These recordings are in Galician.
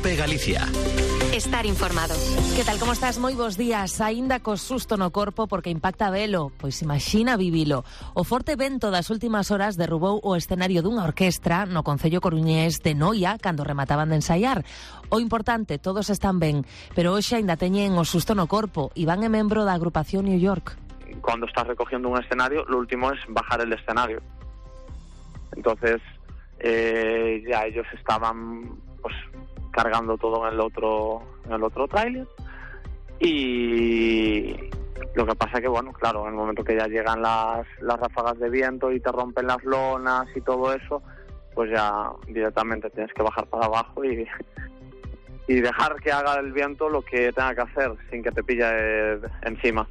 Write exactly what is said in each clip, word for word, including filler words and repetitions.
Cope Galicia. Estar informado. Que tal, como estás? Moi bons días. Aínda co susto no corpo porque impacta velo, pois imagina vivilo. O forte vento das últimas horas derrubou o escenario dunha orquestra no concello coruñés de Noia cando remataban de ensaiar. O importante, todos están ben, pero hoxe aínda teñen o susto no corpo. Iván é membro da agrupación New York. Cuando estás recogiendo un escenario, lo último es bajar el escenario. Entonces, eh, ya ellos estaban pues cargando todo en el otro en el otro tráiler, y lo que pasa que, bueno, claro, en el momento que ya llegan las, las ráfagas de viento y te rompen las lonas y todo eso, pues ya directamente tienes que bajar para abajo y, y dejar que haga el viento lo que tenga que hacer sin que te pille encima.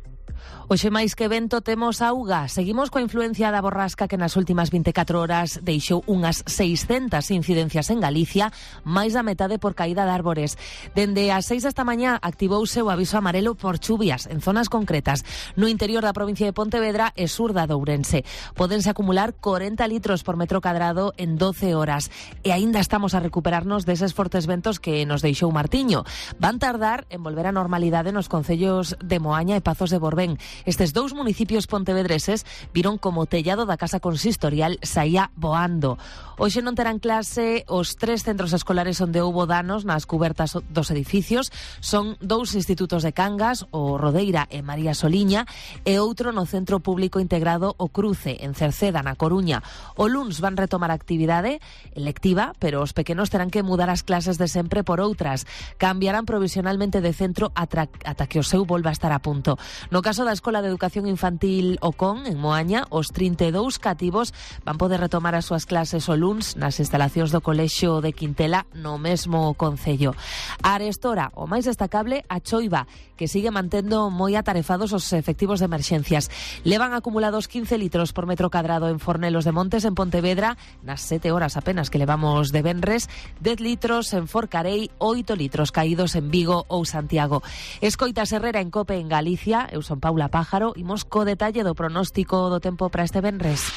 Hoxe máis que vento temos auga. Seguimos coa influencia da borrasca que nas últimas veinticuatro horas deixou unhas seiscentas incidencias en Galicia, máis da metade por caída de árbores. Dende as seis desta mañá activouse o aviso amarelo por chuvias en zonas concretas no interior da provincia de Pontevedra e sur da de Ourense. Pódense acumular corenta litros por metro cadrado en doce horas e aínda estamos a recuperarnos deses fortes ventos que nos deixou Martiño. Van tardar en volver á normalidade nos concellos de Moaña e Pazos de Borbén. Estes dous municipios pontevedreses viron como o tellado da casa consistorial saía voando. Hoxe non terán clase os tres centros escolares onde houbo danos nas cubertas dos edificios. Son dous institutos de Cangas, o Rodeira e María Soliña, e outro no Centro Público Integrado O Cruce, en Cerceda, na Coruña. O luns van retomar a actividade electiva, pero os pequenos terán que mudar as clases de sempre por outras. Cambiarán provisionalmente de centro ata, ata que o seu volva a estar a punto. No caso da Escola de Educación Infantil Ocon, en Moaña, os trinta e dous cativos van poder retomar as súas clases o luns nas instalacións do Colexio de Quintela, no mesmo concello. A arestora, o máis destacable, a choiva, que sigue mantendo moi atarefados os efectivos de emerxencias. Levan acumulados quince litros por metro cadrado en Fornelos de Montes, en Pontevedra, nas sete horas apenas que levamos de venres, dez litros en Forcarei, oito litros caídos en Vigo ou Santiago. Escoitas Herrera en Cope en Galicia. Eu son Paula Pájaro, imos co detalle do pronóstico do tempo para este venres.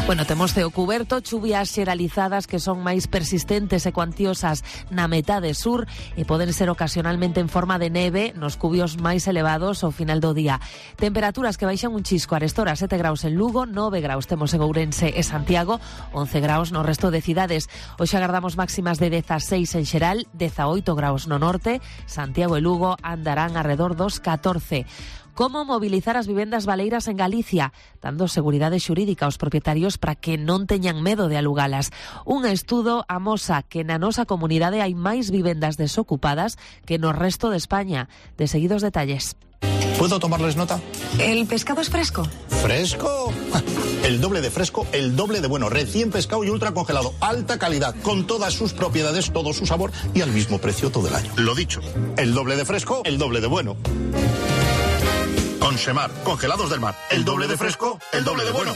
Bueno, temos ceo cuberto, chuvias xeralizadas que son máis persistentes e cuantiosas na metade sur e poden ser ocasionalmente en forma de neve nos cubios máis elevados ao final do día. Temperaturas que baixan un chisco. Arestora sete graus en Lugo, nove graus temos en Ourense e Santiago, once graus no resto de cidades. Hoxe agardamos máximas de dezaseis en xeral, dezaoito graus no norte, Santiago e Lugo andarán arredor dos catorce. Como mobilizar as vivendas baleiras en Galicia, dando seguridade xurídica aos propietarios para que non teñan medo de alugalas. Un estudo amosa que na nosa comunidade hai máis vivendas desocupadas que no resto de España. De seguidos detalles. ¿Puedo tomarles nota? ¿El pescado es fresco? ¿Fresco? El doble de fresco, el doble de bueno. Recién pescado y ultra congelado. Alta calidad, con todas sus propiedades, todo su sabor y al mismo precio todo el año. Lo dicho, el doble de fresco, el doble de bueno. Consemar, congelados del mar. El doble de fresco, el doble de bueno.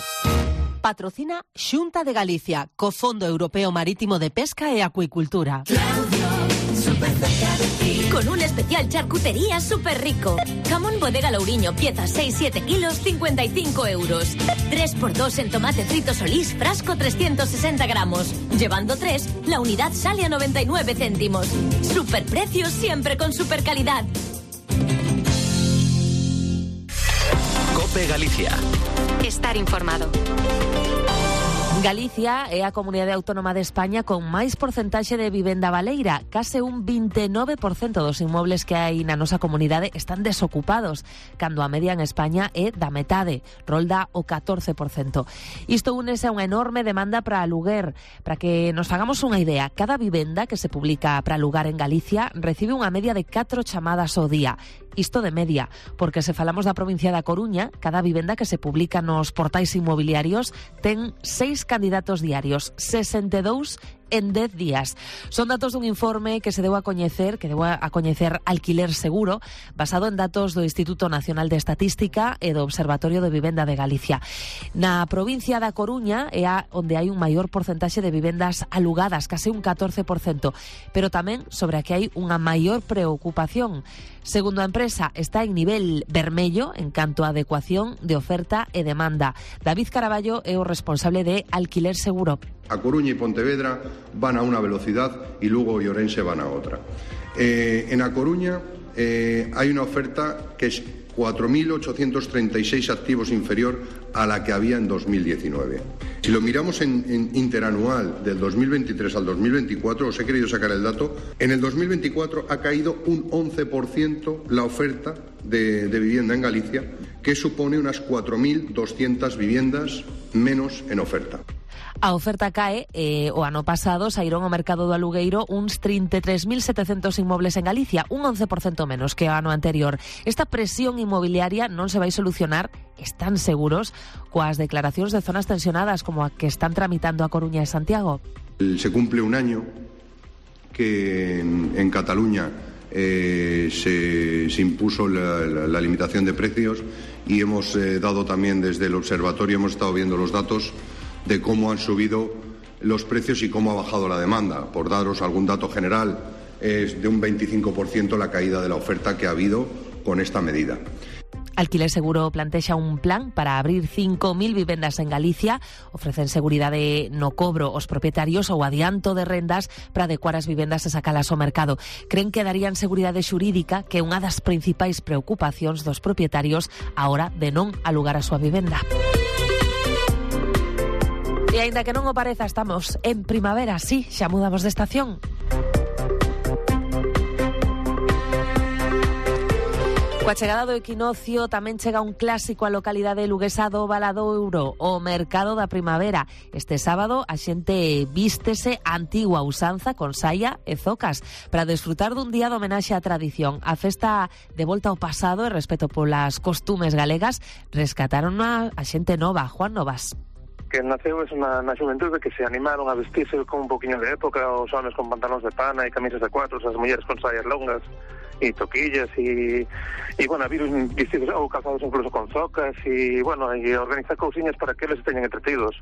Patrocina Xunta de Galicia, co Fondo Europeo Marítimo de Pesca e Acuicultura. Claudio, super cerca de ti. Con un especial charcutería súper rico. Jamón Bodega Louriño, pieza seis siete kilos, cincuenta y cinco euros. tres por dos en tomate frito Solís, frasco trescientos sesenta gramos. Llevando tres, la unidad sale a noventa y nueve céntimos. Super precios siempre con super calidad. Cope Galicia. Estar informado. Galicia é a comunidade autónoma de España con máis porcentaxe de vivenda baleira. Case un vinte e nove por cento dos inmobles que hai na nosa comunidade están desocupados, cando a media en España é da metade, rolda o catorce por cento. Isto únese a unha enorme demanda para aluguer. Para que nos fagamos unha idea, cada vivenda que se publica para alugar en Galicia recibe unha media de catro chamadas ao día. Isto de media, porque se falamos da provincia da Coruña, cada vivenda que se publica nos portais inmobiliarios ten seis candidatos diarios, sesenta e dous en dez días. Son datos dun informe que se deu a coñecer, que deu a coñecer Alquiler Seguro, basado en datos do Instituto Nacional de Estatística e do Observatorio de Vivenda de Galicia. Na provincia da Coruña é a onde hai un maior porcentaxe de vivendas alugadas, case un catorce por cento, pero tamén sobre a que hai unha maior preocupación. Segundo a empresa, está en nivel vermello en canto a adecuación de oferta e demanda. David Caraballo é o responsable de Alquiler Seguro. A Coruña y Pontevedra van a una velocidad y Lugo y Ourense van a otra. Eh, en A Coruña eh, hay una oferta que es cuatro mil ochocientos treinta y seis activos inferior a la que había en dos mil diecinueve. Si lo miramos en, en interanual del dos mil veintitrés al dos mil veinticuatro, os he querido sacar el dato, en el dos mil veinticuatro ha caído un once por ciento la oferta de, de vivienda en Galicia, que supone unas cuatro mil doscientas viviendas menos en oferta. A oferta cae, eh, o ano pasado saíron ao mercado do alugueiro uns trinta e tres mil setecentos inmobles en Galicia, un once por ciento menos que o ano anterior. Esta presión inmobiliaria non se vai solucionar, están seguros, coas declaracións de zonas tensionadas como a que están tramitando a Coruña e Santiago. Se cumple un año que en, en Cataluña eh, se, se impuso la, la, la limitación de precios y hemos eh, dado también desde el observatorio, hemos estado viendo los datos de cómo han subido los precios y cómo ha bajado la demanda. Por daros algún dato general, es de un veinticinco por ciento la caída de la oferta que ha habido con esta medida. Alquiler Seguro plantexa un plan para abrir cinco mil vivendas en Galicia. Ofrecen seguridade no cobro aos propietarios ou adianto de rendas para adecuar as vivendas e sacalas ao mercado. Creen que darían seguridade xurídica, que é unha das principais preocupacións dos propietarios a hora de non alugar a súa vivenda. E aínda que non o pareza, estamos en primavera, sí, xa mudamos de estación. Coa chegada do equinoccio tamén chega un clásico á localidade luguesa do Valadouro, o Mercado da Primavera. Este sábado a xente vístese a antigua usanza con saia e zocas para desfrutar dun día de homenaxe á tradición. A festa de volta ao pasado e respeto polas costumes galegas rescataron a, a xente nova, Juan Novas. Que naceu es na, na xuventude que se animaron a vestirse con un poquinho de época, os homens con pantalóns de pana e camisas de cuatros, as mulleres con saias longas e toquillas e, e bueno, a vir vestidos ou calzados incluso con zocas e, bueno, e organizar cousiñas para que eles teñan entretidos.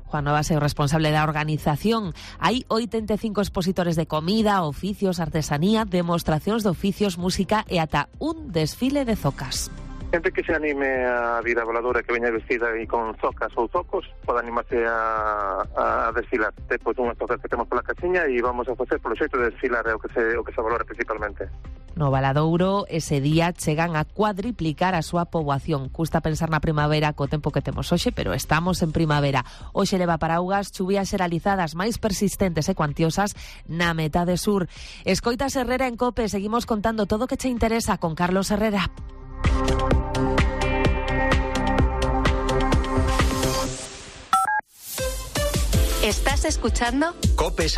Juan Novas é o responsable da organización. Hai oitenta e cinco expositores de comida, oficios, artesanía, demostracións de oficios, música e ata un desfile de zocas. Gente que se anime a vir a voladora, que veña vestida e con zocas ou zocos, pode animarse a, a desfilar. Depois unhas zocas que temos pola cachiña e vamos a facer polo xeito de desfilar, é o que se, o que se valora principalmente. No Valadouro, ese día chegan a cuadriplicar a súa poboación. Custa pensar na primavera co tempo que temos hoxe, pero estamos en primavera. Hoxe leva paraugas, chuvías xeralizadas máis persistentes e cuantiosas na metade sur. Escoitas Herrera en COPE, seguimos contando todo o que che interesa con Carlos Herrera. ¿Estás escuchando? COPE Santander.